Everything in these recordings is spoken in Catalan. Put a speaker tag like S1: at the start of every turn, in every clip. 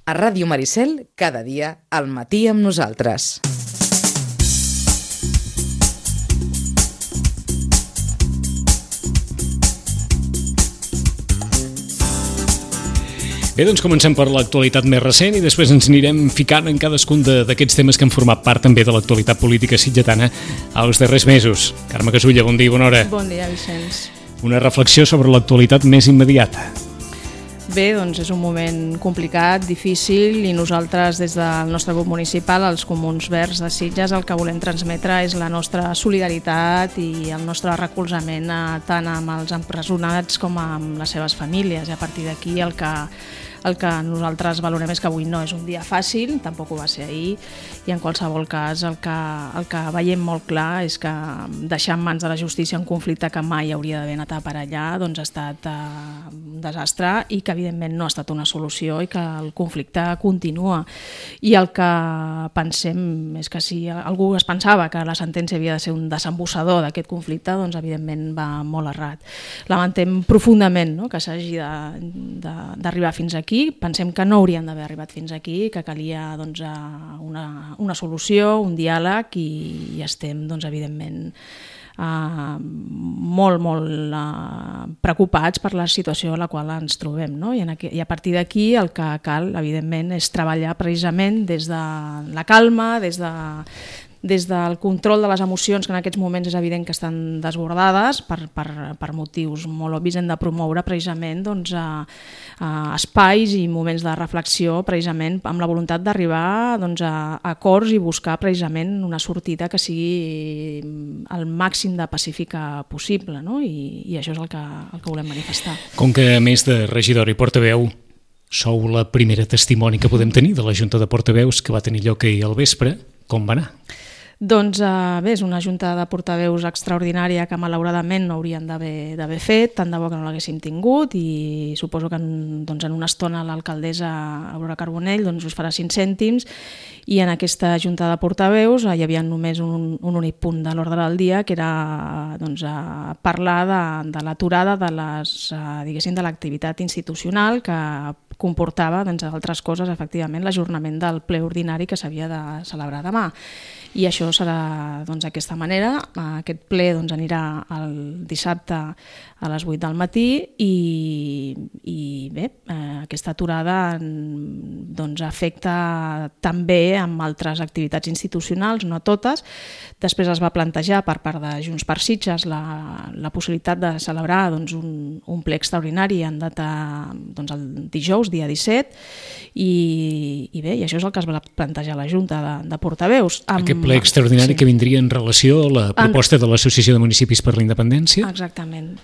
S1: A Ràdio Maricel, cada dia, al matí amb nosaltres.
S2: Bé, doncs comencem per l'actualitat més recent i després ens anirem ficant en cadascun d'aquests temes que han format part també de l'actualitat política sitgetana als darrers mesos. Carme Casulla, bon dia i bona hora.
S3: Bon dia, Vicenç.
S2: Una reflexió sobre l'actualitat més immediata.
S3: Bé, doncs és un moment complicat, difícil, i nosaltres des del nostre grup municipal, els Comuns Verds de Sitges, el que volem transmetre és la nostra solidaritat i el nostre recolzament tant amb els empresonats com amb les seves famílies. I a partir d'aquí el que nosaltres valorem és que avui no és un dia fàcil, tampoc ho va ser ahir, i en qualsevol cas el que veiem molt clar és que deixar en mans de la justícia un conflicte que mai hauria d'haver anat a parar allà doncs ha estat un desastre i que evidentment no ha estat una solució i que el conflicte continua. I el que pensem és que si algú es pensava que la sentència havia de ser un desembussador d'aquest conflicte, doncs evidentment va molt errat. Lamentem profundament, no?, que s'hagi d'arribar fins aquí. Pensem que no haurien d'haver arribat fins aquí, que calia doncs, una solució, un diàleg i estem doncs, evidentment molt preocupats per la situació en la qual ens trobem, no? I a partir d'aquí el que cal evidentment és treballar precisament des de la calma, des del control de les emocions, que en aquests moments és evident que estan desbordades per motius molt obvis. Hem de promoure precisament doncs, espais i moments de reflexió precisament amb la voluntat d'arribar doncs, a acords i buscar precisament una sortida que sigui el màxim de pacífica possible, no? I això és el que volem manifestar.
S2: Com que a més de regidor i portaveu sou la primera testimoni que podem tenir de la Junta de Portaveus que va tenir lloc ahir al vespre, com va anar?
S3: Doncs bé, és una junta de portaveus extraordinària que malauradament no haurien d'haver fet, tant de bo que no l'haguéssim tingut, i suposo que en una estona l'alcaldessa Aurora Carbonell doncs, us farà 5 cèntims, i en aquesta junta de portaveus hi havia només un únic punt de l'ordre del dia, que era doncs, parlar de l'aturada de l'activitat institucional que comportava, entre altres coses, efectivament, l'ajornament del ple ordinari que s'havia de celebrar demà. I això serà d'aquesta manera. Aquest ple anirà el dissabte a les 8 del matí i bé, aquesta aturada afecta també amb altres activitats institucionals, no totes. Després es va plantejar per part de Junts per Sitges la possibilitat de celebrar un ple extraordinari en data el dijous, dia 17, i bé, i això és el que es va plantejar a la Junta de Portaveus.
S2: Aquest ple extraordinari que vindria en relació a la proposta de l'Associació de Municipis per la Independència?
S3: Exactament.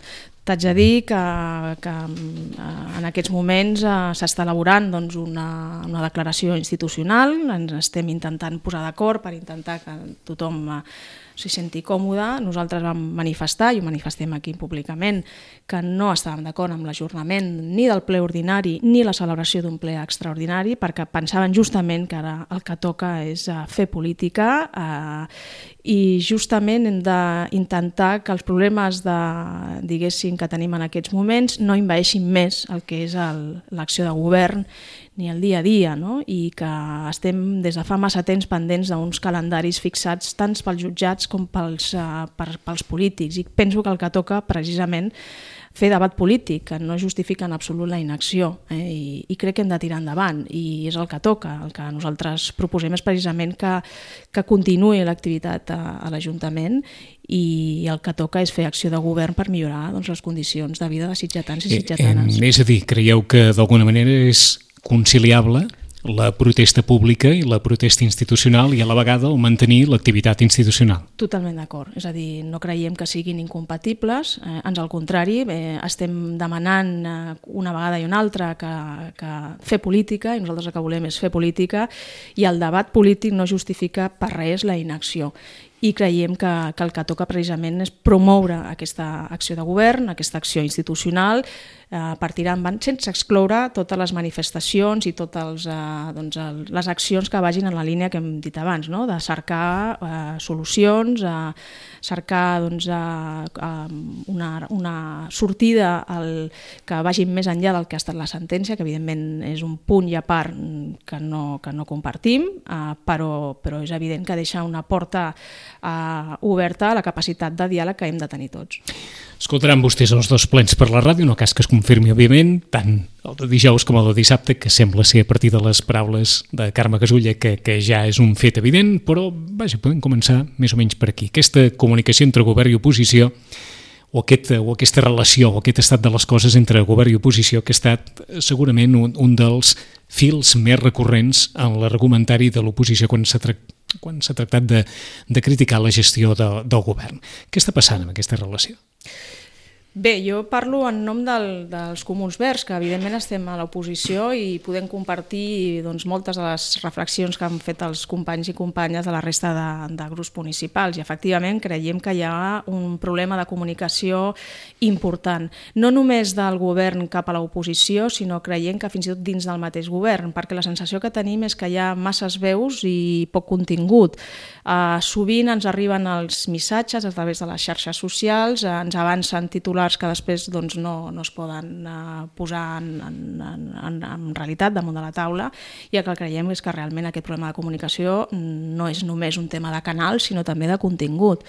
S3: T'haig de dir que en aquests moments s'està elaborant una declaració institucional, ens estem intentant posar d'acord per intentar que tothom s'hi senti còmode. Nosaltres vam manifestar, i ho manifestem aquí públicament, que no estàvem d'acord amb l'ajornament ni del ple ordinari ni la celebració d'un ple extraordinari, perquè pensaven justament que ara el que toca és fer política i justament hem d'intentar que els problemes que tenim en aquests moments no envaeixin més el que és l'acció de govern ni el dia a dia, no? I que estem des de fa massa temps pendents d'uns calendaris fixats tant pels jutjats com pels polítics, i penso que el que toca precisament fer debat polític, que no justifica en absolut la inacció, i crec que hem de tirar endavant, i és el que toca. El que nosaltres proposem és precisament que continuï l'activitat a l'Ajuntament, i el que toca és fer acció de govern per millorar les condicions de vida de sitgetans i sitgetanes.
S2: És a dir, creieu que d'alguna manera és conciliable la protesta pública i la protesta institucional i a la vegada el mantenir l'activitat institucional?
S3: Totalment d'acord, és a dir, no creiem que siguin incompatibles, ans al contrari, estem demanant una vegada i una altra que fer política, i nosaltres el que volem és fer política, i el debat polític no justifica per res la inacció. i creiem que el que toca precisament és promoure aquesta acció de govern, aquesta acció institucional, per tirar endavant sense excloure totes les manifestacions i totes les accions que vagin en la línia que hem dit abans, no? De cercar solucions, cercar una sortida que vagi més enllà del que ha estat la sentència, que evidentment és un punt i a part que no compartim, però és evident que deixa una porta oberta a la capacitat de diàleg que hem de tenir tots.
S2: Escoltaran vostès els dos plens per la ràdio, no cas que es confirmi, òbviament, tant el de dijous com el de dissabte, que sembla ser a partir de les paraules de Carme Casulla, que ja és un fet evident, però vaja, podem començar més o menys per aquí. Aquesta comunicació entre govern i oposició, o aquesta relació, o aquest estat de les coses entre govern i oposició, que ha estat segurament un dels fils més recurrents en l'argumentari de l'oposició quan s'ha tractat de criticar la gestió del govern. Què està passant amb aquesta relació?
S3: Bé, jo parlo en nom dels Comuns Verds, que evidentment estem a l'oposició i podem compartir moltes de les reflexions que han fet els companys i companyes de la resta de grups municipals, i efectivament creiem que hi ha un problema de comunicació important, no només del govern cap a l'oposició, sinó creiem que fins i tot dins del mateix govern, perquè la sensació que tenim és que hi ha masses veus i poc contingut. Sovint ens arriben els missatges a través de les xarxes socials, ens avancen titulars que després no es poden posar en realitat damunt de la taula, i el que creiem és que realment aquest problema de comunicació no és només un tema de canal, sinó també de contingut.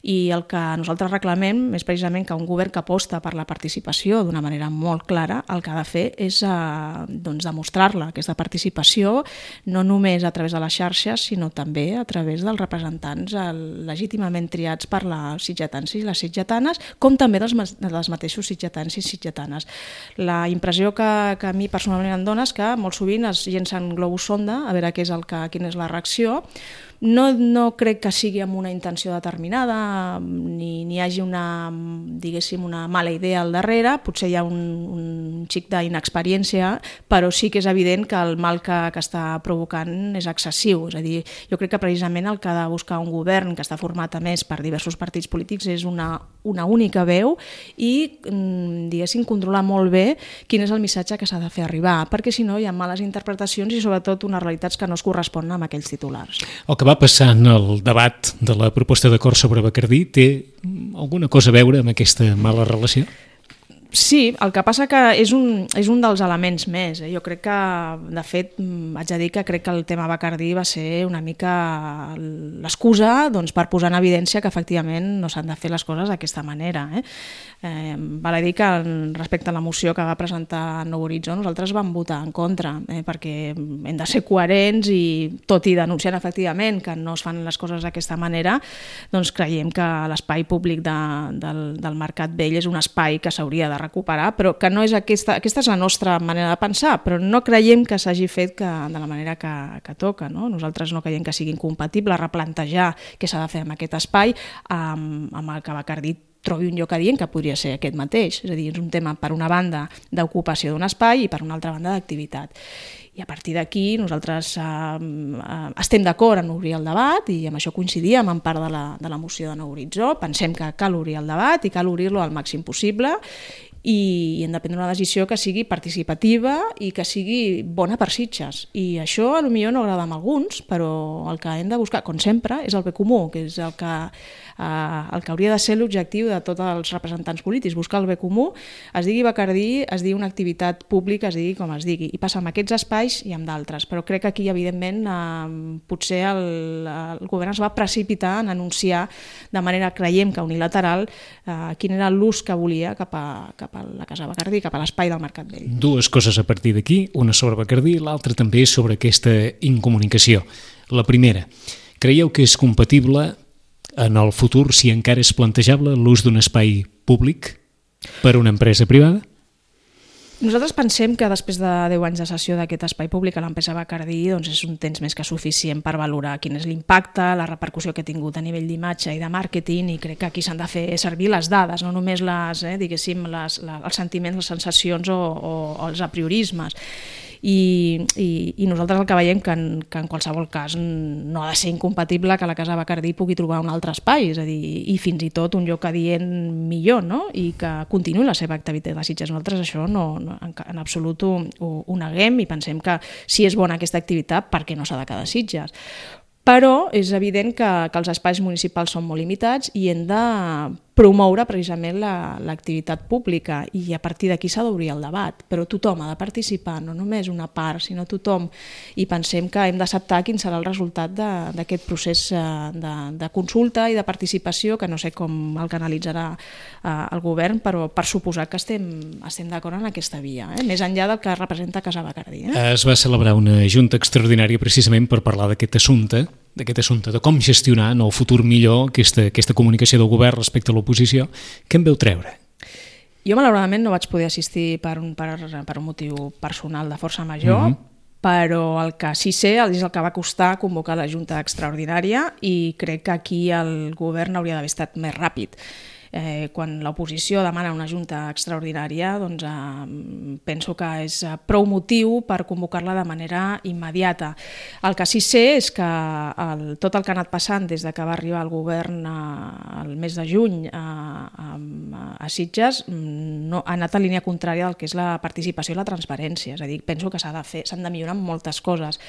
S3: I el que nosaltres reclamem és precisament que un govern que aposta per la participació d'una manera molt clara, el que ha de fer és demostrar-la, aquesta participació, no només a través de les xarxes, sinó també a través dels representants legítimament triats per les sitgetans i les sitgetanes, com també dels mateixos sitgetans i sitgetanes. La impressió que a mi personalment em dona és que molt sovint es llencen globus sonda a veure quina és la reacció. No crec que sigui amb una intenció determinada, ni hi hagi una mala idea al darrere, potser hi ha un xic d'inexperiència, però sí que és evident que el mal que està provocant és excessiu. És a dir, jo crec que precisament el que ha de buscar un govern que està format a més per diversos partits polítics és una única veu i, controlar molt bé quin és el missatge que s'ha de fer arribar, perquè si no hi ha males interpretacions i sobretot unes realitats que no es corresponen amb aquells titulars.
S2: El que va passar en el debat de la proposta d'acord sobre Bacardí té alguna cosa a veure amb aquesta mala relació?
S3: Sí, el que passa que és un dels elements més. Jo crec que, de fet, haig de dir que crec que el tema Bacardí va ser una mica l'excusa per posar en evidència que efectivament no s'han de fer les coses d'aquesta manera. Val a dir que respecte a la moció que va presentar Nou Horitzó nosaltres vam votar en contra, perquè hem de ser coherents i tot i denunciant efectivament que no es fan les coses d'aquesta manera, doncs creiem que l'espai públic del Mercat Vell és un espai que s'hauria de recuperar, però que no és aquesta és la nostra manera de pensar, però no creiem que s'hagi fet de la manera que toca. Nosaltres no creiem que sigui incompatible replantejar què s'ha de fer amb aquest espai amb el que Bacardí trobi un lloc adient que podria ser aquest mateix. És a dir, és un tema, per una banda, d'ocupació d'un espai i per una altra banda d'activitat. I a partir d'aquí nosaltres estem d'acord en obrir el debat i amb això coincidíem en part de la moció de Nou Horitzó. Pensem que cal obrir el debat i cal obrir-lo al màxim possible i hem de prendre una decisió que sigui participativa i que sigui bona per Sitges. I això potser no agrada a alguns, però el que hem de buscar, com sempre, és el bé comú, que és el que hauria de ser l'objectiu de tots els representants polítics, buscar el bé comú, es digui Bacardí, es digui una activitat pública, es digui com es digui, i passa amb aquests espais i amb d'altres, però crec que aquí, evidentment, potser el govern es va precipitar en anunciar de manera, creiem que unilateral, quin era l'ús que volia cap a la Casa Bacardí, cap a l'espai del Mercat Vell.
S2: Dues coses a partir d'aquí, una sobre Bacardí, l'altra també sobre aquesta incomunicació. La primera, creieu que és compatible en el futur, si encara és plantejable, l'ús d'un espai públic per una empresa privada?
S3: Nosaltres pensem que després de 10 anys de cessió d'aquest espai públic a l'empresa Bacardí és un temps més que suficient per valorar quin és l'impacte, la repercussió que ha tingut a nivell d'imatge i de màrqueting, i crec que aquí s'han de fer servir les dades, no només els sentiments, les sensacions o els apriorismes. i nosaltres el que veiem que en qualsevol cas no ha de ser incompatible que la Casa Bacardí pugui trobar un altre espai, és a dir, i fins i tot un lloc adient millor, no? I que continuï la seva activitat a Sitges. Nosaltres això en absolut ho neguem i pensem que si és bona aquesta activitat, per què no s'ha de quedar a Sitges? Però és evident que els espais municipals són molt limitats i hem de promoure precisament l'activitat pública i a partir d'aquí s'ha d'obrir el debat, però tothom ha de participar, no només una part, sinó tothom, i pensem que hem d'acceptar quin serà el resultat d'aquest procés de consulta i de participació, que no sé com el canalitzarà el govern, però per suposar que estem d'acord en aquesta via, més enllà del que representa Casa Bacardí.
S2: Es va celebrar una junta extraordinària precisament per parlar d'aquest assumpte, de com gestionar en el futur millor aquesta comunicació del govern respecte a l'oposició. Què en veu treure?
S3: Jo malauradament no vaig poder assistir per un motiu personal de força major, però el que sí sé és el que va costar convocar la Junta Extraordinària i crec que aquí el govern hauria d'haver estat més ràpid. Quan l'oposició demana una junta extraordinària, doncs penso que és prou motiu per convocar-la de manera immediata. El que sí sé és que tot el que ha anat passant des que va arribar el govern el mes de juny a Sitges ha anat en línia contrària del que és la participació i la transparència. És a dir, penso que s'han de millorar moltes coses.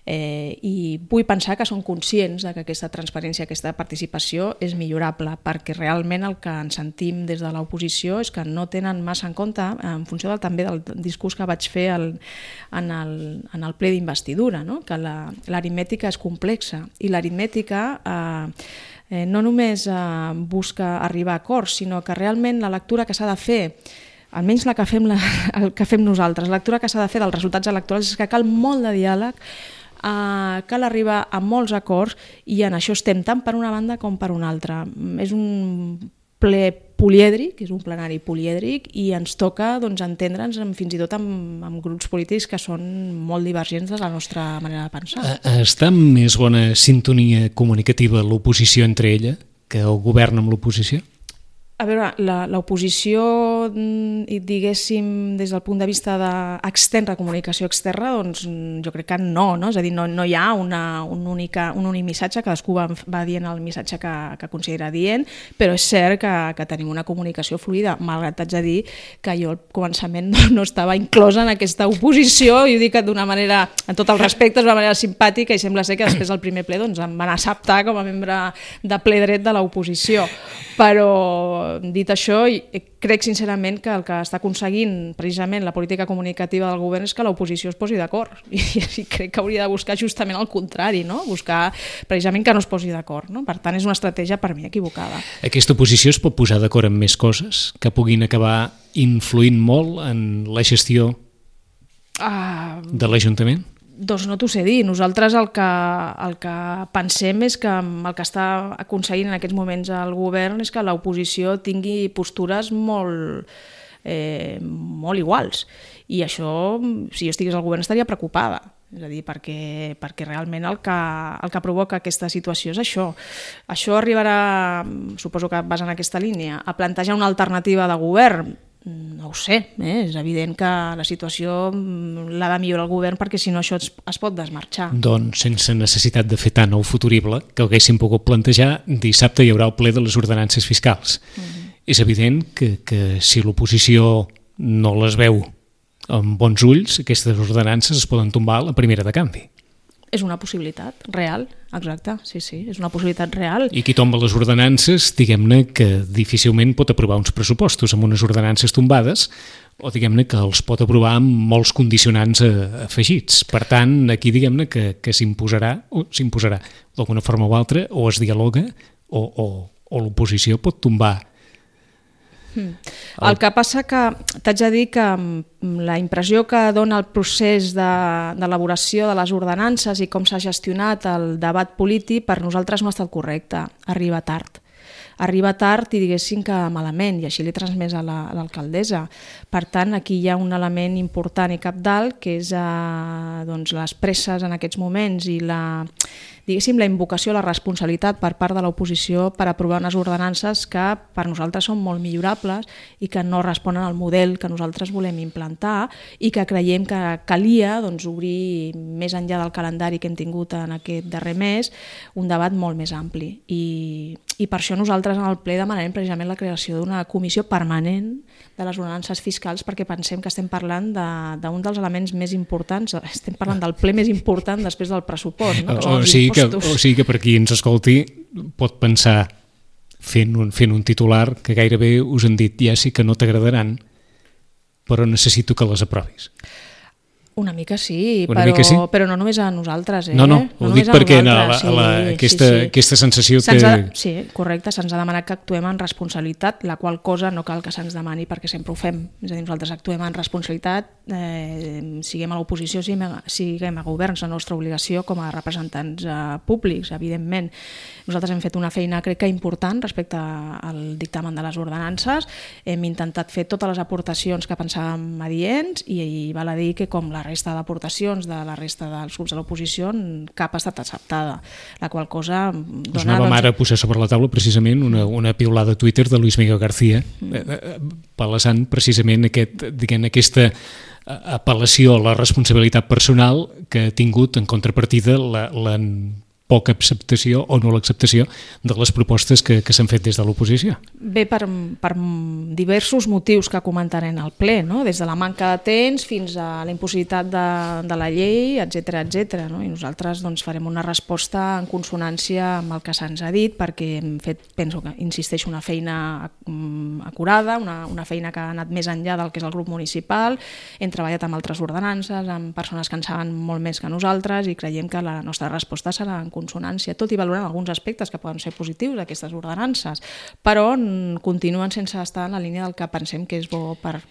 S3: I vull pensar que són conscients que aquesta transparència, aquesta participació és millorable, perquè realment el que ens sentim des de l'oposició és que no tenen massa en compte, en funció també del discurs que vaig fer en el ple d'investidura, no? Que l'aritmètica és complexa i l'aritmètica no només busca arribar a acords, sinó que realment la lectura que s'ha de fer, almenys el que fem nosaltres, la lectura que s'ha de fer dels resultats electorals és que cal molt de diàleg, cal arribar a molts acords i en això estem tant per una banda com per una altra. És un ple polièdric, és un plenari polièdric i ens toca entendre'ns fins i tot amb grups polítics que són molt divergents de la nostra manera de pensar.
S2: Està en més bona sintonia comunicativa l'oposició entre ella que el govern amb l'oposició?
S3: A veure, l'oposició, diguéssim, des del punt de vista d'externa, comunicació externa, doncs jo crec que no? És a dir, no hi ha un únic missatge, cadascú va dient el missatge que considera dient, però és cert que tenim una comunicació fluida, malgrat t'haig de dir que jo al començament no estava inclosa en aquesta oposició, i ho dic d'una manera, en tot el respecte, d'una manera simpàtica, i sembla ser que després del primer ple em van acceptar com a membre de ple dret de l'oposició. Però, dit això, crec sincerament que el que està aconseguint precisament la política comunicativa del govern és que l'oposició es posi d'acord, i crec que hauria de buscar justament el contrari, no? Buscar precisament que no es posi d'acord, no? Per tant, és una estratègia per mi equivocada.
S2: Aquesta oposició es pot posar d'acord en més coses que puguin acabar influint molt en la gestió de l'Ajuntament?
S3: Doncs no t'ho sé dir. Nosaltres el que pensem és que el que està aconseguint en aquests moments el govern és que l'oposició tingui postures molt iguals. I això, si jo estigués al govern, estaria preocupada. És a dir, perquè realment el que provoca aquesta situació és això. Això arribarà, suposo que vas en aquesta línia, a plantejar una alternativa de govern. No ho sé, és evident que la situació l'ha de millorar el govern perquè si no això es pot desmarxar.
S2: Doncs sense necessitat de fer tant el futurible que haguéssim pogut plantejar, dissabte hi haurà el ple de les ordenances fiscals. És evident que si l'oposició no les veu amb bons ulls, aquestes ordenances es poden tombar a la primera de canvi.
S3: És una possibilitat real, exacte, sí, és una possibilitat real.
S2: I qui tomba les ordenances, diguem-ne que difícilment pot aprovar uns pressupostos amb unes ordenances tombades, o diguem-ne que els pot aprovar amb molts condicionants afegits. Per tant, aquí diguem-ne que s'imposarà d'alguna forma o altra, o es dialoga, o l'oposició pot tombar.
S3: El que passa que t'haig de dir que la impressió que dona el procés d'elaboració de les ordenances i com s'ha gestionat el debat polític per nosaltres no ha estat correcte, arriba tard i diguéssim que malament, i així l'he transmès a l'alcaldessa. Per tant, aquí hi ha un element important i cabdal que és les presses en aquests moments i diguéssim, la invocació a la responsabilitat per part de l'oposició per aprovar unes ordenances que per nosaltres són molt millorables i que no responen al model que nosaltres volem implantar i que creiem que calia obrir més enllà del calendari que hem tingut en aquest darrer mes un debat molt més ampli. I per això nosaltres en el ple demanarem precisament la creació d'una comissió permanent de les ordenances fiscals, perquè pensem que estem parlant d'un dels elements més importants, estem parlant del ple més important després del pressupost, no? Que són els impostos.
S2: O sigui que per qui ens escolti pot pensar fent un titular que gairebé us han dit ja sí que no t'agradaran, però necessito que les aprovis.
S3: Una mica sí,
S2: mica sí?
S3: Però no només a nosaltres.
S2: No, ho dic perquè aquesta sensació que...
S3: Sí, correcte, se'ns ha demanat que actuem en responsabilitat, la qual cosa no cal que se'ns demani perquè sempre ho fem. És a dir, nosaltres actuem en responsabilitat, siguem a l'oposició, siguem a govern, és la nostra obligació com a representants públics, evidentment. Nosaltres hem fet una feina, crec que important, respecte al dictamen de les ordenances. Hem intentat fer totes les aportacions que pensàvem adients i val a dir que com la resta d'aportacions de la resta dels grups de l'oposició, cap ha estat acceptada, la qual cosa dona...
S2: Us anàvem ara a posar sobre la taula precisament una piulada a Twitter de Luis Miguel García, palesant precisament aquesta apel·lació a la responsabilitat personal que ha tingut en contrapartida la poca acceptació o no l'acceptació de les propostes que s'han fet des de l'oposició.
S3: Bé, per diversos motius que comentarem al ple, no? Des de la manca de temps fins a la impossibilitat de la llei, etc. No? I nosaltres farem una resposta en consonància amb el que se'ns ha dit, perquè hem fet, penso que, insisteixo, una feina acurada, una feina que ha anat més enllà del que és el grup municipal, hem treballat amb altres ordenances, amb persones que en saben molt més que nosaltres i creiem que la nostra resposta serà en consonància, tot i valorant alguns aspectes que poden ser positius d'aquestes ordenances, però continuen sense estar en la línia del que pensem que és bo per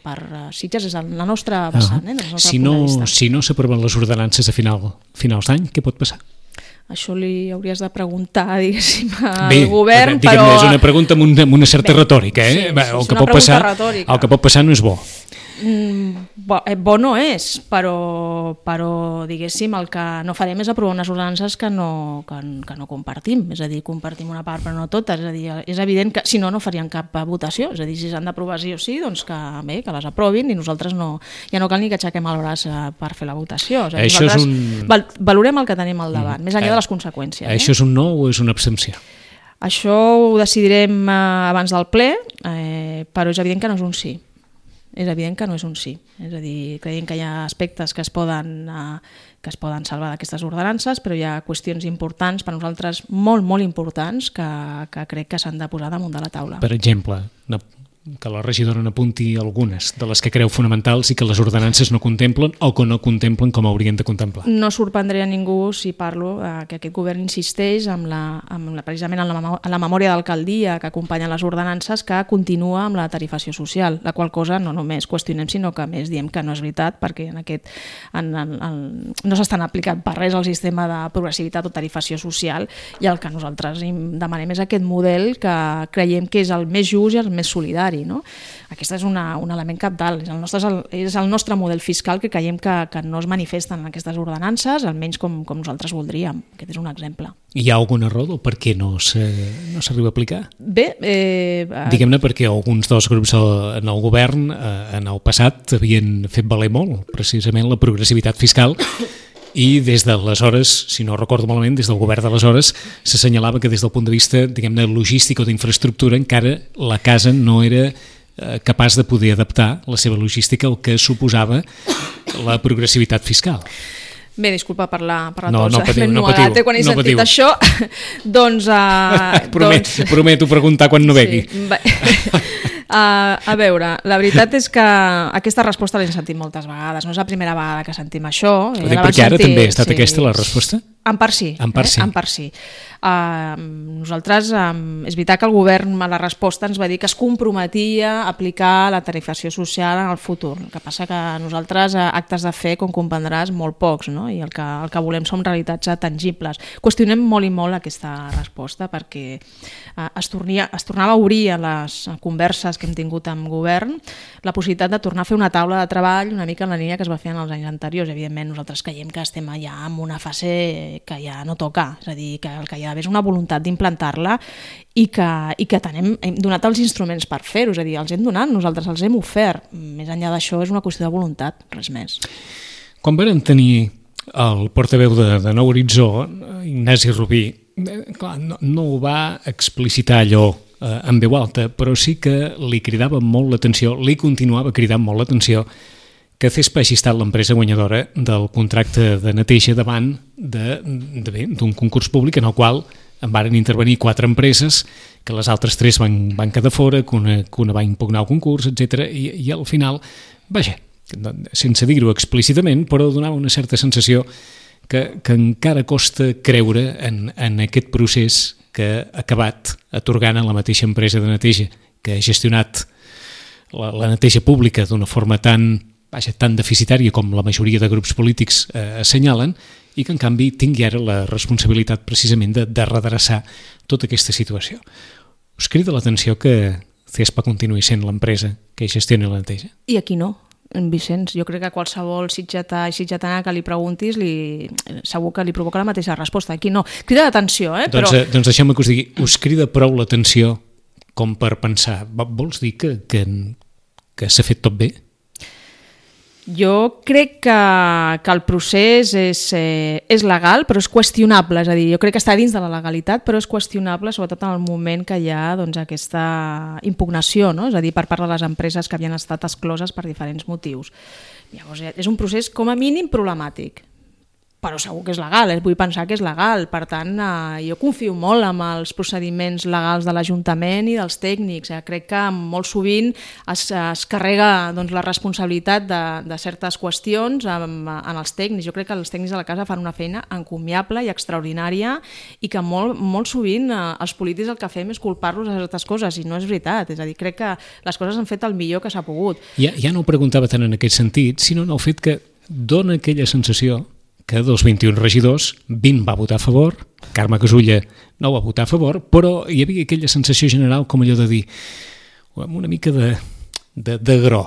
S3: Sitges, és la nostra vessant.
S2: Si no s'aproven les ordenances a finals d'any, què pot passar?
S3: Això li hauries de preguntar, diguéssim, al govern,
S2: però... És una pregunta amb una certa retòrica,
S3: Sí, el que
S2: pot passar no és bo.
S3: Bo no és, però diguéssim, el que no farem és aprovar unes ordenances que no compartim, és a dir, compartim una part però no totes, és a dir, és evident que si no faríem cap votació, és a dir, si s'han d'aprovar sí o sí, doncs que les aprovin i nosaltres ja no cal ni que aixequem el braç per fer la votació, és a dir, nosaltres valorem el que tenim al davant, més enllà de les conseqüències.
S2: Això és un no o és una abstenció?
S3: Això ho decidirem abans del ple, però és evident que no és un sí. És evident que no és un sí. És a dir, creiem que hi ha aspectes que es poden salvar d'aquestes ordenances, però hi ha qüestions importants, per nosaltres molt, molt importants, que crec que s'han de posar damunt de la taula.
S2: Per exemple, que la regidora n'apunti algunes de les que creu fonamentals i que les ordenances no contemplen o que no contemplen com haurien de contemplar.
S3: No sorprendré a ningú si parlo que aquest govern insisteix precisament en la memòria d'alcaldia que acompanya les ordenances, que continua amb la tarifació social, la qual cosa no només qüestionem, sinó que més diem que no és veritat, perquè no s'estan aplicant per res el sistema de progressivitat o tarifació social, i el que nosaltres demanem és aquest model que creiem que és el més just i el més solidari. No? Aquest és un element cabdal, és el nostre model fiscal que creiem que no es manifesta en aquestes ordenances, almenys com nosaltres voldríem. Aquest és un exemple.
S2: Hi ha alguna raó del per què no s'arriba a aplicar?
S3: Bé,
S2: diguem-ne perquè alguns dels grups en el govern en el passat havien fet valer molt precisament la progressivitat fiscal i des d'aleshores, si no recordo malament, des del govern d'aleshores s'assenyalava que des del punt de vista, diguem-ne, logístic o d'infraestructura encara la casa no era capaç de poder adaptar la seva logística al que suposava la progressivitat fiscal.
S3: Bé, disculpa per la
S2: no patiu,
S3: quan he sentit això, doncs...
S2: Prometo preguntar quan no begui.
S3: A veure, la veritat és que aquesta resposta l'hem sentit moltes vegades, no és la primera vegada que sentim això.
S2: Perquè ara també ha estat aquesta la resposta?
S3: En part sí. Nosaltres, és veritat que el govern a la resposta ens va dir que es comprometia a aplicar la tarifació social en el futur. El que passa que nosaltres actes de fe, com comprendràs, molt pocs, no? I el que volem són realitats tangibles. Qüestionem molt i molt aquesta resposta perquè es tornava a obrir a les converses que hem tingut amb govern la possibilitat de tornar a fer una taula de treball una mica en la línia que es va fer en els anys anteriors. Evidentment, nosaltres creiem que estem ja en una fase ja no toca, és a dir, que el que hi ha d'haver és una voluntat d'implantar-la i que hem donat els instruments per fer-ho, és a dir, els hem donat, nosaltres els hem ofert. Més enllà d'això és una qüestió de voluntat, res més.
S2: Quan vam tenir el portaveu de Nou Horitzó, Ignasi Rubí, clar, no ho va explicitar allò en veu alta, però sí que li cridava molt l'atenció, li continuava cridant molt l'atenció que CESPA hagi estat l'empresa guanyadora del contracte de neteja davant d'un concurs públic en el qual en varen intervenir 4 empreses, que les altres 3 van quedar fora, que una va impugnar el concurs, etc. I al final, vaja, sense dir-ho explícitament, però donava una certa sensació que encara costa creure en aquest procés que ha acabat atorgant a la mateixa empresa de neteja que ha gestionat la neteja pública d'una forma tan deficitària com la majoria de grups polítics assenyalen, i que en canvi tingui ara la responsabilitat precisament de redreçar tota aquesta situació. Us crida l'atenció que CESPA continuï sent l'empresa que gestiona la neteja?
S3: I aquí no, Vicenç. Jo crec que qualsevol sitgetà i sitgetana que li preguntis segur que li provoca la mateixa resposta. Aquí no. Crida l'atenció,
S2: Doncs deixeu-me que us digui, us crida prou l'atenció com per pensar, vols dir que s'ha fet tot bé?
S3: Jo crec que el procés és legal, però és qüestionable, és a dir, jo crec que està dins de la legalitat, però és qüestionable, sobretot en el moment que hi ha aquesta impugnació, no? És a dir, per part de les empreses que havien estat excloses per diferents motius. Llavors, és un procés com a mínim problemàtic, però segur que és legal, vull pensar que és legal. Per tant, jo confio molt en els procediments legals de l'Ajuntament i dels tècnics. Crec que molt sovint es carrega la responsabilitat de certes qüestions en els tècnics. Jo crec que els tècnics de la casa fan una feina encomiable i extraordinària i que molt sovint els polítics el que fem és culpar-los de certes coses i no és veritat. És a dir, crec que les coses han fet el millor que s'ha pogut.
S2: Ja no ho preguntava tant en aquest sentit, sinó en el fet que dona aquella sensació que dels 21 regidors, 20 va votar a favor, Carme Casulla no va votar a favor, però hi havia aquella sensació general com allò de dir, amb una mica de gro,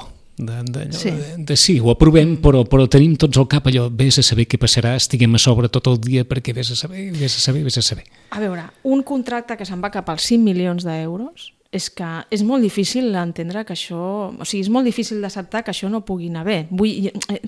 S2: sí, ho aprovem, però tenim tots al cap allò, vés a saber què passarà, estiguem a sobre tot el dia perquè vés a saber.
S3: A veure, un contracte que se'n va cap als 5 milions d'euros, és que és molt difícil entendre que això... O sigui, és molt difícil d'acceptar que això no pugui anar bé.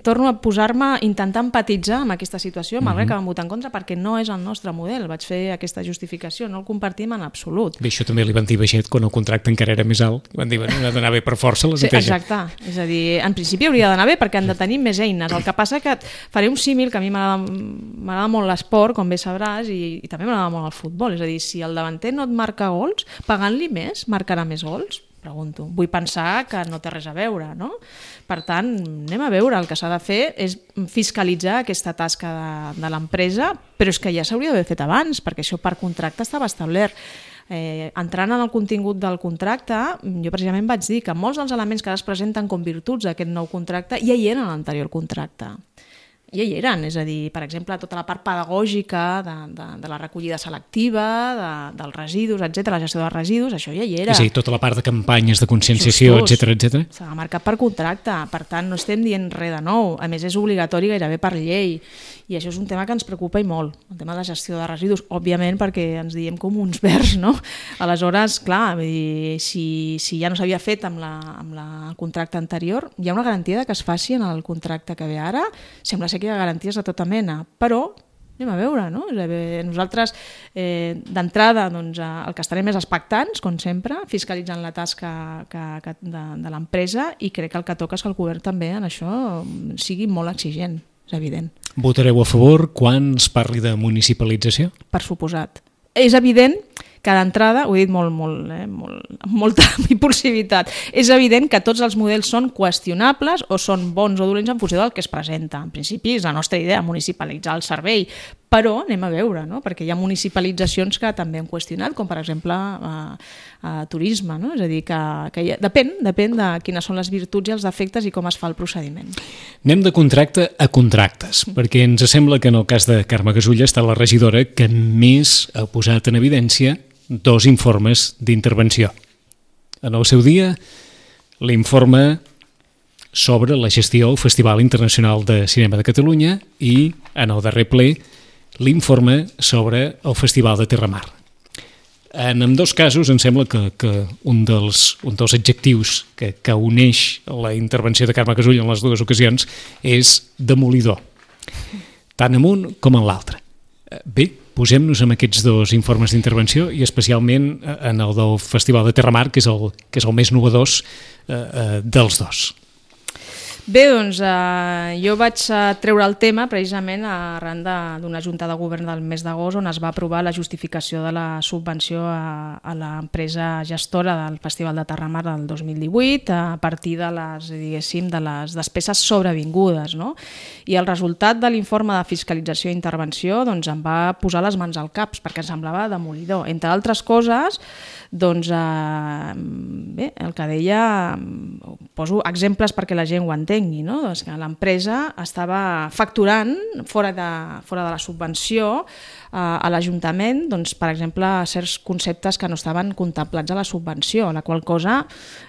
S3: Torno a posar-me, intentar empatitzar amb aquesta situació, malgrat que vam votar en contra, perquè no és el nostre model. Vaig fer aquesta justificació, no el compartim en absolut.
S2: Bé, això també li van dir Baixet quan el contracte encara era més alt. Van dir, ha d'anar bé per força la neteja.
S3: Sí, exacte. És a dir, en principi hauria d'anar bé perquè han de tenir més eines. El que passa que faré un símil, que a mi m'agrada molt l'esport, com bé sabràs, i també m'agrada molt el futbol. És a dir, si el davanter no et marca gols, pagant-li més, marcarà més gols? Pregunto. Vull pensar que no té res a veure, no? Per tant, anem a veure. El que s'ha de fer és fiscalitzar aquesta tasca de l'empresa, però és que ja s'hauria d'haver fet abans, perquè això per contracte estava establert. Entrant en el contingut del contracte, jo precisament vaig dir que molts dels elements que ara es presenten com virtuts d'aquest nou contracte ja hi eren a l'anterior contracte. Ja hi eren, és a dir, per exemple, tota la part pedagògica de la recollida selectiva, dels residus, etc., la gestió dels residus, això ja hi era.
S2: És a dir, tota la part de campanyes de conscienciació, etc.
S3: S'ha marcat per contracte, per tant, no estem dient res de nou. A més, és obligatori gairebé per llei, i això és un tema que ens preocupa i molt, el tema de la gestió de residus, òbviament perquè ens diem com uns verds, no? Aleshores, clar, si ja no s'havia fet amb el contracte anterior, hi ha una garantia que es faci en el contracte que ve ara. Sembla ser que hi ha garanties de tota mena, però anem a veure, no? Nosaltres, d'entrada, el que estarem és expectants, com sempre, fiscalitzant la tasca de l'empresa, i crec que el que toca és que el govern també en això sigui molt exigent, és evident.
S2: Votareu a favor quan es parli de municipalització?
S3: Per suposat. És evident que d'entrada, ho he dit amb molta impulsivitat, és evident que tots els models són qüestionables o són bons o dolents en funció del que es presenta. En principi és la nostra idea, municipalitzar el servei, però anem a veure, no? Perquè hi ha municipalitzacions que també hem qüestionat, com per exemple turisme, no? És a dir, que depèn de quines són les virtuts i els defectes i com es fa el procediment.
S2: Anem de contracte a contractes, perquè ens sembla que en el cas de Carme Casulla està la regidora que més ha posat en evidència 2 informes d'intervenció. En el seu dia, l'informe sobre la gestió del Festival Internacional de Cinema de Catalunya i, en el darrer ple, l'informe sobre el Festival de Terramar. En ambdós casos em sembla que un dels adjectius que uneix la intervenció de Carme Casull en les dues ocasions és demolidor, tant en un com en l'altre. Bé, posem-nos amb aquests dos informes d'intervenció i especialment en el del Festival de Terramar, que és el més novedós dels dos.
S3: Bé, doncs jo vaig treure el tema precisament arran d'una junta de govern del mes d'agost on es va aprovar la justificació de la subvenció a l'empresa gestora del Festival de Terramar del 2018 a partir de les despeses sobrevingudes, no? I el resultat de l'informe de fiscalització i intervenció doncs, em va posar les mans al cap perquè em semblava demolidor. Entre altres coses, doncs, bé, el que deia, poso exemples perquè la gent ho entengui, no? Doncs que l'empresa estava facturant fora de la subvenció a l'Ajuntament, doncs, per exemple, certs conceptes que no estaven contemplats a la subvenció, la qual cosa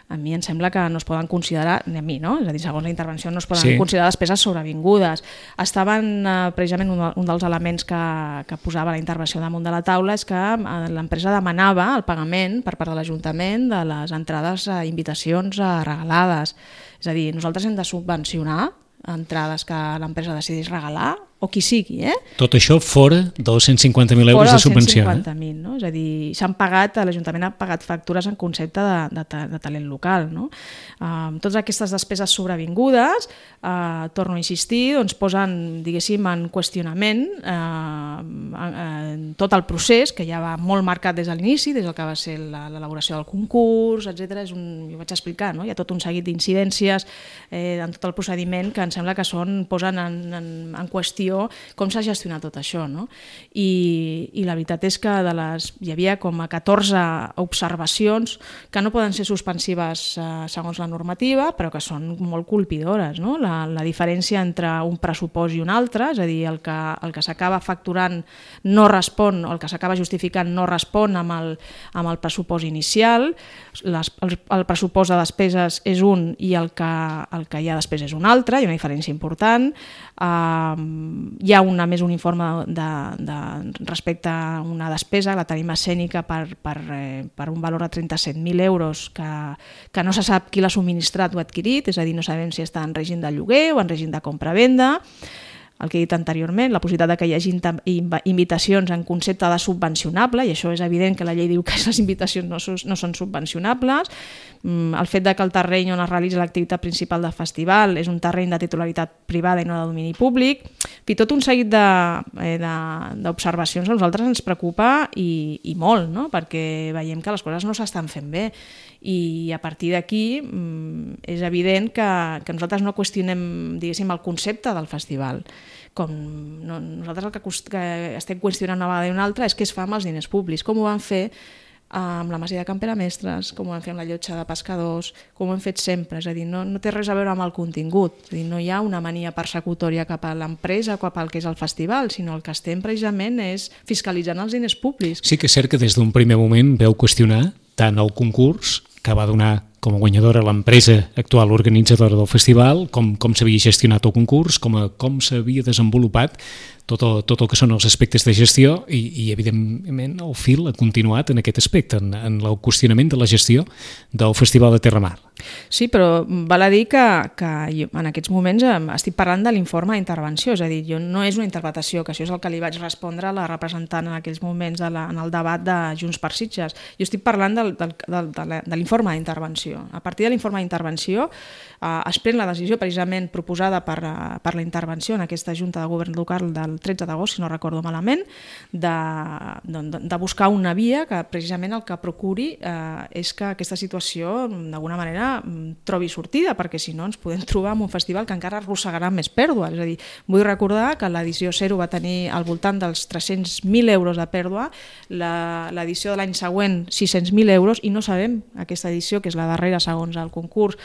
S3: a mi em sembla que no es poden considerar, ni a mi, no? És a dir, segons la intervenció no es poden considerar despeses sobrevingudes. Estaven, precisament, un dels elements que posava la intervenció damunt de la taula és que l'empresa demanava el pagament per part de l'Ajuntament de les entrades a invitacions regalades. És a dir, nosaltres hem de subvencionar entrades que l'empresa decideix regalar o qui sigui,
S2: Tot això fora dels 150.000 euros de subvenció.
S3: Fora dels 150.000, no? És a dir, l'Ajuntament ha pagat factures en concepte de talent local, no? Totes aquestes despeses sobrevingudes, torno a insistir, doncs posen, diguéssim, en qüestionament tot el procés, que ja va molt marcat des de l'inici, des del que va ser l'elaboració del concurs, etc. Jo vaig explicar, no? Hi ha tot un seguit d'incidències en tot el procediment que em sembla que posen en qüestió com s'ha gestionat tot això, no? I la veritat és que hi havia com a 14 observacions que no poden ser suspensives segons la normativa, però que són molt colpidores, no? La diferència entre un pressupost i un altre, és a dir, el que s'acaba facturant no respon, o el que s'acaba justificant no respon amb el pressupost inicial, el pressupost de despeses és un i el que hi ha després és un altre, hi ha una diferència important. Hi ha un informe respecte a una despesa, la tarima escènica per un valor de 37.000 euros que no se sap qui l'ha subministrat o adquirit, és a dir, no sabem si està en règim de lloguer o en règim de compra-venda. El que he dit anteriorment, la possibilitat que hi hagi invitacions en concepte de subvencionable, i això és evident que la llei diu que les invitacions no són subvencionables, el fet que el terreny on es realitza l'activitat principal del festival és un terreny de titularitat privada i no de domini públic, i tot un seguit d'observacions a nosaltres ens preocupa i molt, no? Perquè veiem que les coses no s'estan fent bé i a partir d'aquí és evident que nosaltres no qüestionem, diguéssim, el concepte del festival. Nosaltres el que estem qüestionant una vegada i una altra és què es fa amb els diners públics, com ho van fer amb la Masia de Camperamestres, com ho vam fer amb la Llotja de Pescadors, com ho hem fet sempre, és a dir, no té res a veure amb el contingut, és a dir, no hi ha una mania persecutòria cap a l'empresa o cap al que és el festival, sinó el que estem precisament és fiscalitzant els diners públics.
S2: Sí que és cert que des d'un primer moment veu qüestionar tant el concurs que va donar com a guanyadora l'empresa actual organitzadora del festival, com s'havia gestionat el concurs, com s'havia desenvolupat tot el que són els aspectes de gestió i evidentment el fil ha continuat en aquest aspecte, en el qüestionament de la gestió del Festival de Terramar.
S3: Sí, però val a dir que jo en aquests moments estic parlant de l'informe d'intervenció, és a dir, no és una interpretació, que això és el que li vaig respondre a la representant en aquells moments en el debat de Junts per Sitges. Jo estic parlant de l'informe d'intervenció. A partir de l'informe d'intervenció es pren la decisió precisament proposada per la intervenció en aquesta Junta de Govern Local del 13 d'agost, si no recordo malament, de buscar una via que precisament el que procuri és que aquesta situació d'alguna manera trobi sortida, perquè si no ens podem trobar en un festival que encara arrossegarà més pèrdua. És a dir, vull recordar que l'edició 0 va tenir al voltant dels 300.000 euros de pèrdua, l'edició de l'any següent 600.000 euros, i no sabem aquesta edició, que és la darrera segons el concurs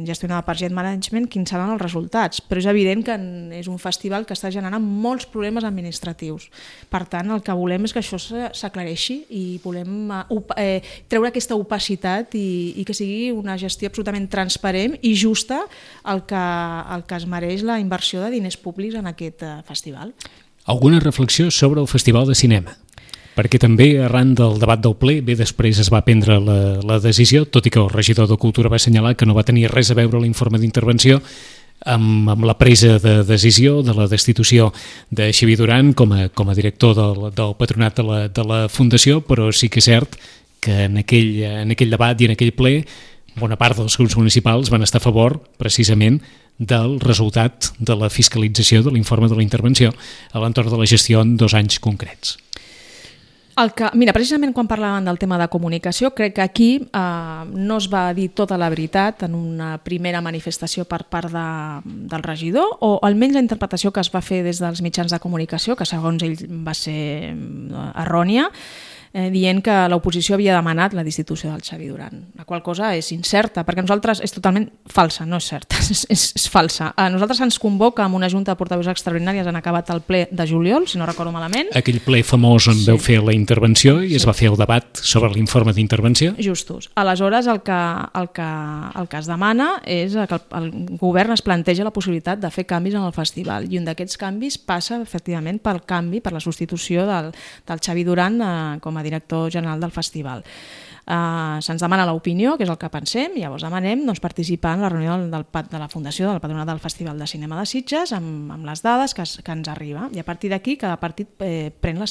S3: gestionada per Jet Management, quins seran els resultats. Però és evident que és un festival que està generant molts problemes administratius. Per tant, el que volem és que això s'aclareixi i volem treure aquesta opacitat i que sigui una gestió absolutament transparent i justa el que es mereix la inversió de diners públics en aquest festival.
S2: Alguna reflexió sobre el Festival de Cinema? Perquè també arran del debat del ple, bé, després es va prendre la decisió, tot i que el regidor de Cultura va assenyalar que no va tenir res a veure l'informe d'intervenció amb la presa de decisió de la destitució de Xavier Duran com a director del patronat de la Fundació, però sí que és cert que en aquell debat i en aquell ple bona part dels grups municipals van estar a favor precisament del resultat de la fiscalització de l'informe de la intervenció a l'entorn de la gestió en 2 anys concrets.
S3: Mira, precisament quan parlàvem del tema de comunicació, crec que aquí no es va dir tota la veritat en una primera manifestació per part del regidor, o almenys la interpretació que es va fer des dels mitjans de comunicació, que segons ell va ser errònia, dient que l'oposició havia demanat la destitució del Xavier Duran, la qual cosa és incerta, perquè nosaltres és totalment falsa, no és certa, és falsa. A nosaltres ens convoca amb una junta de portaveus extraordinàries, han acabat el ple de juliol, si no recordo malament.
S2: Aquell ple famós on veu fer la intervenció i es va fer el debat sobre l'informe d'intervenció.
S3: Justos. Aleshores, el que es demana és que el govern es planteja la possibilitat de fer canvis en el festival, i un d'aquests canvis passa efectivament pel canvi, per la substitució del Xavier Duran com a director general del festival. Se'ns demana l'opinió, que és el que pensem, i llavors demanem participar en la reunió de la Fundació del Patronat del Festival de Cinema de Sitges amb les dades que ens arriba, i a partir d'aquí cada partit pren el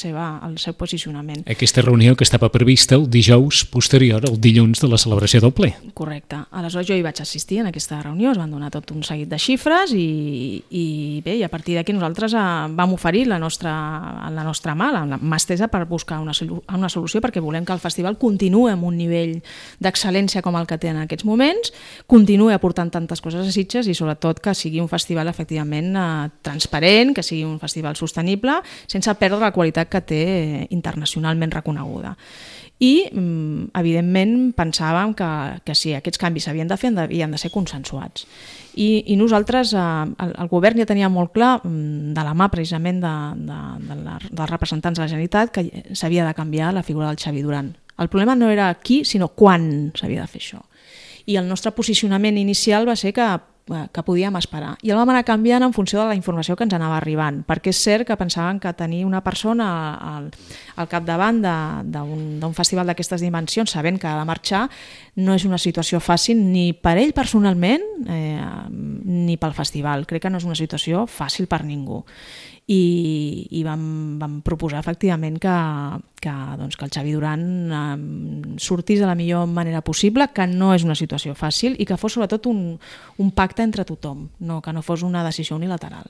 S3: seu posicionament.
S2: Aquesta reunió que estava prevista el dijous posterior al dilluns de la celebració del ple.
S3: Correcte. Aleshores jo hi vaig assistir en aquesta reunió, es van donar tot un seguit de xifres i bé, i a partir d'aquí nosaltres vam oferir la nostra mà, la mà estesa per buscar una solució, perquè volem que el festival continuï amb un nivell d'excel·lència com el que té en aquests moments, continuï aportant tantes coses a Sitges i sobretot que sigui un festival efectivament transparent, que sigui un festival sostenible, sense perdre la qualitat que té internacionalment reconeguda. I, evidentment, pensàvem que si aquests canvis s'havien de fer, havien de ser consensuats. I nosaltres, el govern ja tenia molt clar, de la mà precisament dels representants de la Generalitat, que s'havia de canviar la figura del Xavier Duran. El problema no era qui, sinó quan s'havia de fer això. I el nostre posicionament inicial va ser que podíem esperar. I el vam anar canviant en funció de la informació que ens anava arribant, perquè és cert que pensàvem que tenir una persona al capdavant d'un festival d'aquestes dimensions, sabent que ha de marxar, no és una situació fàcil ni per ell personalment ni pel festival. Crec que no és una situació fàcil per ningú. I vam proposar efectivament que el Xavier Duran sortís de la millor manera possible, que no és una situació fàcil i que fos sobretot un pacte entre tothom, que no fos una decisió unilateral.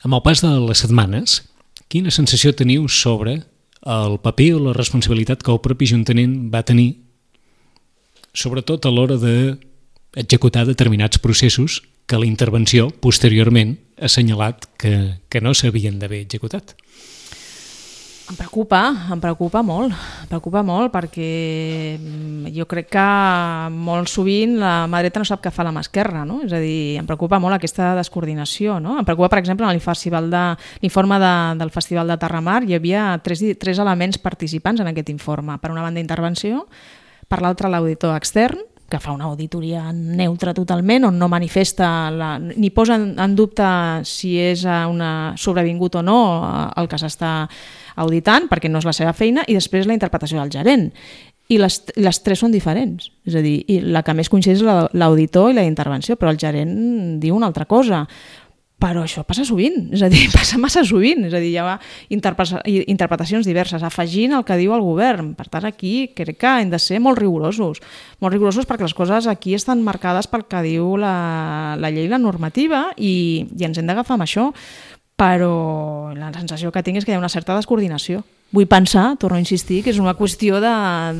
S2: Amb el pas de les setmanes, quina sensació teniu sobre el paper o la responsabilitat que el propi Ajuntament va tenir, sobretot a l'hora d'executar determinats processos que la intervenció posteriorment ha assenyalat que no s'havien d'haver executat?
S3: Em preocupa molt perquè jo crec que molt sovint la mà dreta no sap què fa la mà esquerra, no? És a dir, em preocupa molt aquesta descoordinació, no? Em preocupa, per exemple, en l'informe del Festival de Terramar hi havia tres elements participants en aquest informe. Per una banda, intervenció, per l'altra, l'auditor extern, que fa una auditoria neutra totalment, on no manifesta ni posa en dubte si és sobrevingut o no el que s'està auditant, perquè no és la seva feina, i després la interpretació del gerent. I les tres són diferents. És a dir, la que més coincideix és l'auditor i la intervenció, però el gerent diu una altra cosa. Però això passa sovint, és a dir, passa massa sovint, és a dir, hi ha interpretacions diverses, afegint el que diu el govern. Per tant, aquí crec que hem de ser molt rigorosos perquè les coses aquí estan marcades pel que diu la llei i la normativa i ens hem d'agafar amb això, però la sensació que tinc és que hi ha una certa descoordinació. Vull pensar, torno a insistir, que és una qüestió en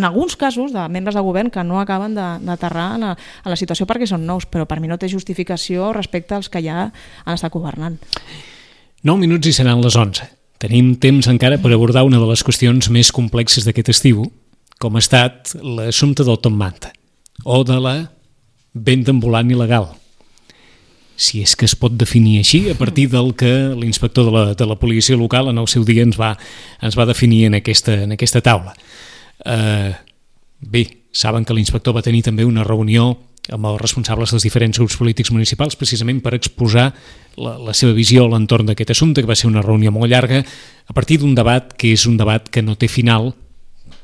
S3: alguns casos, de membres de govern que no acaben d'aterrar a la situació perquè són nous, però per mi no té justificació respecte als que ja han estat governant.
S2: 9 minuts i seran les 11. Tenim temps encara per abordar una de les qüestions més complexes d'aquest estiu, com ha estat l'assumpte del Top Manta, o de la venda ambulant il·legal. Si és que es pot definir així, a partir del que l'inspector de la policia local en el seu dia ens va definir en aquesta taula. Bé, saben que l'inspector va tenir també una reunió amb els responsables dels diferents grups polítics municipals, precisament per exposar la seva visió a l'entorn d'aquest assumpte, que va ser una reunió molt llarga, a partir d'un debat que és un debat que no té final,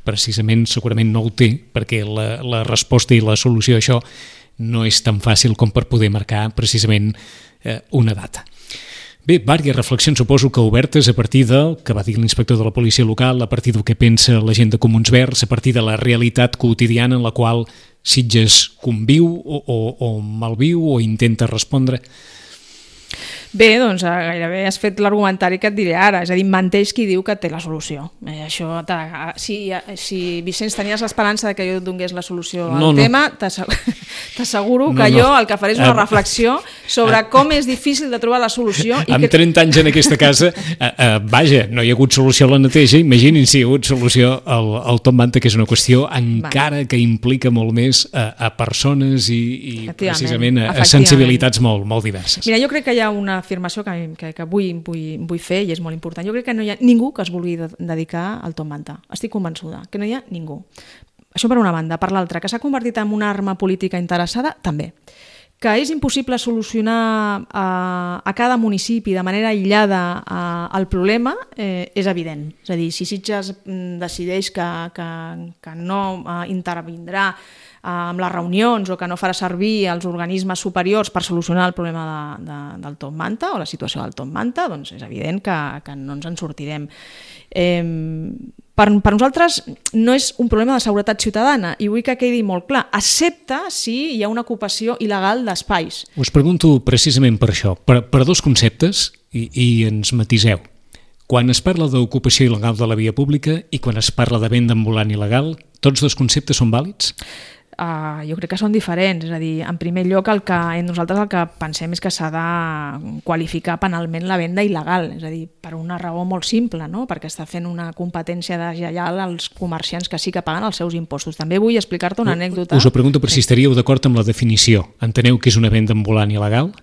S2: precisament segurament no ho té, perquè la resposta i la solució a això no és tan fàcil com per poder marcar precisament una data. Bé, diverses reflexions suposo que obertes a partir del que va dir l'inspector de la policia local, a partir del que pensa la gent de Comuns Verds, a partir de la realitat quotidiana en la qual Sitges conviu o malviu o intenta respondre.
S3: Bé, doncs gairebé has fet l'argumentari que et diré ara, és a dir, menteix qui diu que té la solució. Això, si Vicenç tenies l'esperança que jo et donés la solució al tema, t'asseguro que jo el que faré és una reflexió sobre com és difícil de trobar la solució.
S2: Amb 30 anys en aquesta casa, vaja, no hi ha hagut solució a la neteja, imaginin si hi ha hagut solució al Top Manta, que és una qüestió encara que implica molt més a persones i precisament a sensibilitats molt diverses.
S3: Mira, jo crec que hi ha una afirmació que vull fer i és molt important. Jo crec que no hi ha ningú que es vulgui dedicar al Top Manta. Estic convençuda que no hi ha ningú. Això per una banda. Per l'altra, que s'ha convertit en una arma política interessada, també. Que és impossible solucionar a cada municipi de manera aïllada el problema és evident. És a dir, si Sitges decideix que no intervindrà amb les reunions o que no farà servir els organismes superiors per solucionar el problema del Top Manta o la situació del Top Manta, doncs és evident que no ens en sortirem. Per nosaltres no és un problema de seguretat ciutadana i vull que quedi molt clar, excepte si hi ha una ocupació il·legal d'espais.
S2: Us pregunto precisament per això, per dos conceptes i ens matiseu. Quan es parla d'ocupació il·legal de la via pública i quan es parla de venda ambulant il·legal, tots dos conceptes són vàlids?
S3: Jo crec que són diferents, és a dir, en primer lloc nosaltres el que pensem és que s'ha de qualificar penalment la venda il·legal, és a dir, per una raó molt simple, no? Perquè està fent una competència deslleial als comerciants que sí que paguen els seus impostos. També vull explicar-te una anècdota.
S2: Us ho pregunto per si estaríeu d'acord amb la definició. Enteneu que és una venda ambulant il·legal?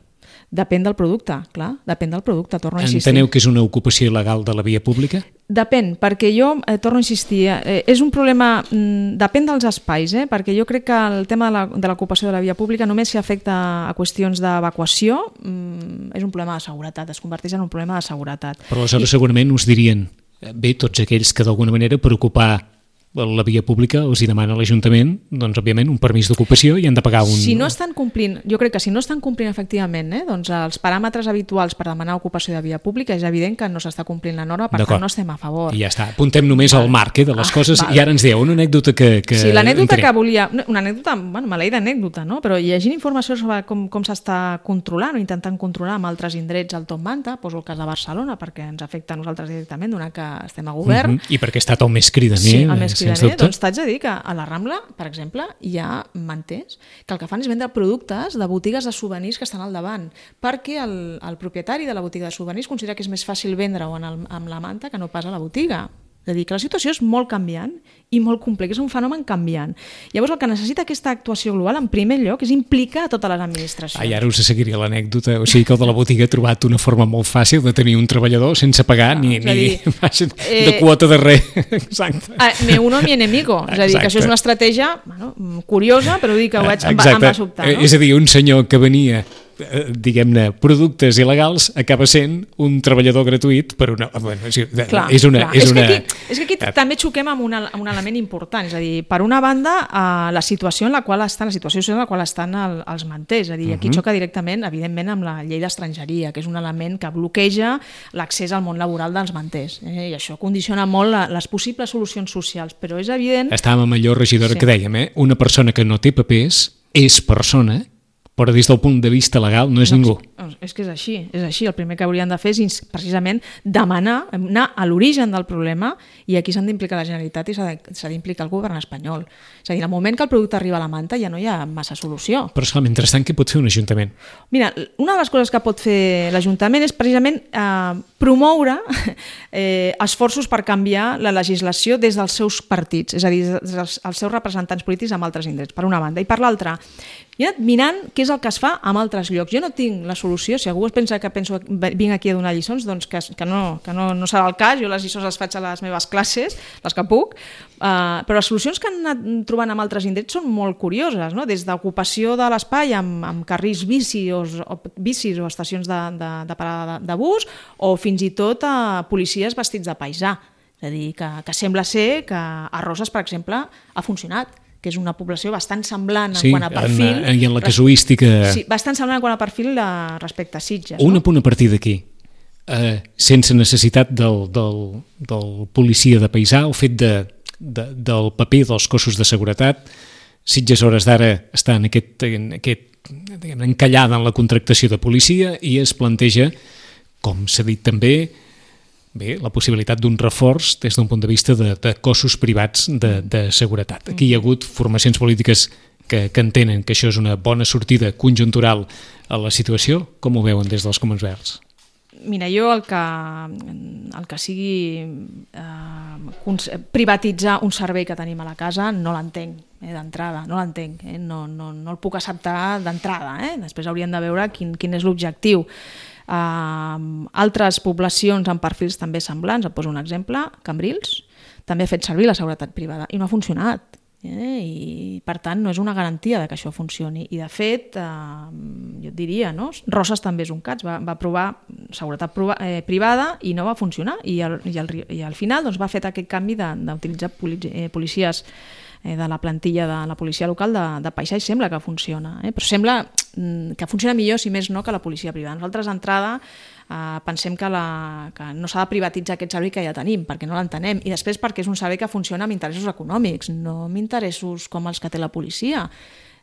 S3: Depèn del producte, clar, depèn del producte, torno a insistir.
S2: Enteneu que és una ocupació il·legal de la via pública?
S3: Depèn, perquè jo, torno a insistir, és un problema, depèn dels espais, perquè jo crec que el tema de l'ocupació de la via pública només si afecta a qüestions d'evacuació, és un problema de seguretat, es converteix en un problema de seguretat.
S2: Però aleshores segurament us dirien, bé, tots aquells que d'alguna manera per ocupar la via pública els hi demana l'Ajuntament, doncs òbviament un permís d'ocupació i han de pagar un...
S3: Si no estan complint, jo crec que si no estan complint efectivament doncs els paràmetres habituals per demanar ocupació de via pública és evident que no s'està complint la norma, per tant no estem a favor.
S2: I ja està, apuntem només al marc de les coses i ara ens dieu una anècdota que...
S3: Sí, l'anècdota que volia... Una anècdota, bueno, maleïda anècdota, no? Però llegint informació sobre com s'està controlant o intentant controlar amb altres indrets al Top Manta, poso el cas de Barcelona perquè ens afecta a nosaltres directament, donat que estem a govern.
S2: I perquè ha estat el més cridaner,
S3: sí, el més cridaner, doncs t'haig de dir que a la Rambla, per exemple, hi ha manters que el que fan és vendre productes de botigues de souvenirs que estan al davant, perquè el propietari de la botiga de souvenirs considera que és més fàcil vendre-ho amb la manta que no pas a la botiga. És a dir, que la situació és molt canviant i molt complex, és un fenomen canviant. Llavors el que necessita aquesta actuació global, en primer lloc, és implicar a totes les administracions.
S2: Ara us seguiria l'anècdota, o sigui que el de la botiga ha trobat una forma molt fàcil de tenir un treballador sense pagar ni de quota de res. Exacte.
S3: Me uno mi enemigo, és a dir, que això és una estratègia curiosa, però dic que ho em va sobtar.
S2: És a dir, un senyor que venia diguem-ne, productes il·legals acaba sent un treballador gratuït per una... Bueno, és
S3: que aquí també xoquem amb un element important, és a dir, per una banda, la situació en la qual estan els manters, és a dir, aquí xoca directament, evidentment, amb la llei d'estrangeria, que és un element que bloqueja l'accés al món laboral dels manters, i això condiciona molt les possibles solucions socials, però és evident...
S2: Estàvem amb allò, regidora, que dèiem, una persona que no té papers és persona, però des del punt de vista legal no és ningú.
S3: És que és així. El primer que haurien de fer és precisament demanar, anar a l'origen del problema, i aquí s'han d'implicar la Generalitat i s'ha d'implicar el govern espanyol. És a dir, al moment que el producte arriba a la manta ja no hi ha massa solució.
S2: Però esclar, mentrestant, què pot fer un ajuntament?
S3: Mira, una de les coses que pot fer l'Ajuntament és precisament promoure esforços per canviar la legislació des dels seus partits, és a dir, dels seus representants polítics amb altres indrets, per una banda. I per l'altra, i he anat mirant què és el que es fa en altres llocs. Jo no tinc la solució, si algú es pensa que vinc aquí a donar lliçons, doncs que no serà el cas, jo les lliçons les faig a les meves classes, les que puc, però les solucions que han anat trobant en altres indrets són molt curioses, no? Des d'ocupació de l'espai amb carrils bicis o estacions de parada de bus, o fins i tot a policies vestits de paisà. És a dir, que sembla ser que a Roses, per exemple, ha funcionat, que és una població bastant semblant en quant a perfil.
S2: Sí, i en la casuística...
S3: Sí, bastant semblant en quant a perfil respecte a Sitges.
S2: Un apunt a partir d'aquí. Sense necessitat del policia de paisà, el fet del paper dels cossos de seguretat, Sitges a hores d'ara està encallada en la contractació de policia i es planteja, com s'ha dit també, la possibilitat d'un reforç des d'un punt de vista de cossos privats de seguretat. Aquí hi ha hagut formacions polítiques que entenen que això és una bona sortida conjuntural a la situació. Com ho veuen des dels Comuns Verds?
S3: Mira, jo el que sigui privatitzar un servei que tenim a la casa no l'entenc, d'entrada, no l'entenc, no el puc acceptar d'entrada. Després hauríem de veure quin és l'objectiu. Altres poblacions amb perfils també semblants, et poso un exemple, Cambrils, també ha fet servir la seguretat privada i no ha funcionat. I per tant no és una garantia de que això funcioni, i de fet jo et diria, no? Roses també és un cas, va provar seguretat privada i no va funcionar, i al final doncs, va fer aquest canvi d'utilitzar policies de la plantilla de la policia local de paisà, i sembla que funciona, però sembla que funciona millor, si més no, que la policia privada. Nosaltres d'entrada pensem que no s'ha de privatitzar aquest servei que ja tenim, perquè no l'entenem, i després perquè és un servei que funciona amb interessos econòmics, no amb interessos com els que té la policia.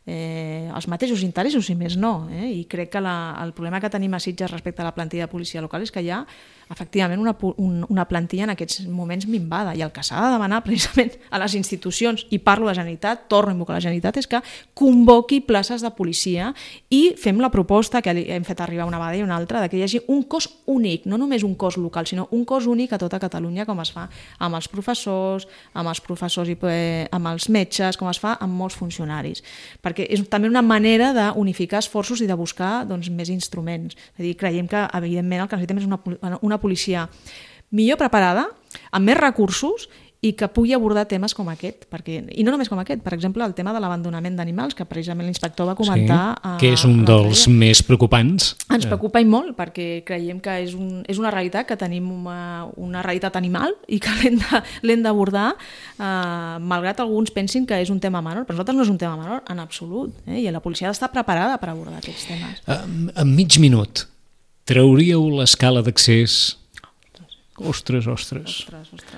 S3: Els mateixos interessos, si més no, i crec que el problema que tenim a Sitges respecte a la plantilla de policia local és que hi ha efectivament una plantilla en aquests moments minvada, i el que s'ha de demanar precisament a les institucions, i parlo de Generalitat, torno a invocar la Generalitat, és que convoqui places de policia i fem la proposta que hem fet arribar una vegada i una altra, de que hi hagi un cos únic, no només un cos local, sinó un cos únic a tota Catalunya, com es fa amb els professors i amb els metges, com es fa amb molts funcionaris, perquè és també una manera d'unificar esforços i de buscar més instruments. És a dir, creiem que evidentment el que necessitem és una policia millor preparada, amb més recursos, i que pugui abordar temes com aquest, i no només com aquest, per exemple, el tema de l'abandonament d'animals, que precisament l'inspector va comentar...
S2: Sí, que és un dels més preocupants.
S3: Ens preocupa i molt, perquè creiem que és una realitat, que tenim una realitat animal i que l'hem d'abordar, malgrat alguns pensin que és un tema menor, però nosaltres no és un tema menor, en absolut, i la policia ha d'estar preparada per abordar aquests temes.
S2: En mig minut, trauríeu l'escala d'accés... Ostres.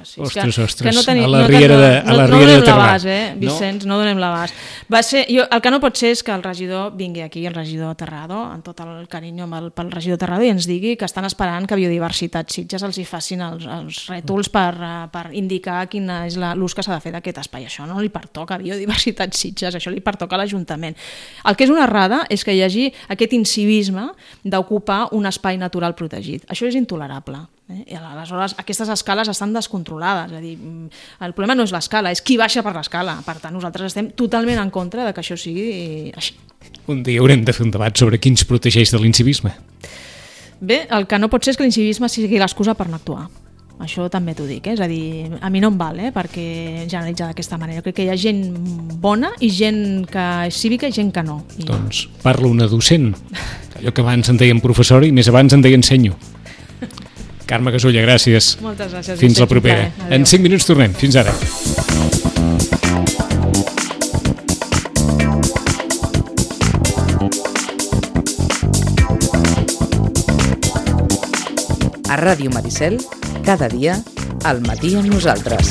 S3: Sí.
S2: Que
S3: no tenim,
S2: a la Riera de Terrà.
S3: Vicenç, no donem l'abast. El que no pot ser és que el regidor vingui aquí, el regidor Terrado, amb tot el carinyo pel regidor Terrado, i ens digui que estan esperant que Biodiversitat Sitges els hi facin els rètols per indicar quin és l'ús que s'ha de fer d'aquest espai. Això no li pertoca a Biodiversitat Sitges, això li pertoca a l'Ajuntament. El que és una errada és que hi hagi aquest incivisme d'ocupar un espai natural protegit. Això és intolerable. I aleshores aquestes escales estan descontrolades, és a dir, el problema no és l'escala, és qui baixa per l'escala. Per tant, nosaltres estem totalment en contra de que això sigui així.
S2: Un dia haurem de fer un debat sobre qui ens protegeix de l'incivisme.
S3: Bé, el que no pot ser és que l'incivisme sigui l'excusa per no actuar. Això també t'ho dic, és a dir, a mi no em val perquè generalitzar d'aquesta manera. Jo crec que hi ha gent bona i gent que és cívica i gent que no.
S2: Doncs parla una docent, allò que abans en deien professor i més abans en deien senyor. Carme Gasulla, gràcies.
S3: Moltes gràcies.
S2: Fins la propera. En 5 minuts tornem. Fins ara.
S1: A Ràdio Maricel, cada dia, al matí amb nosaltres.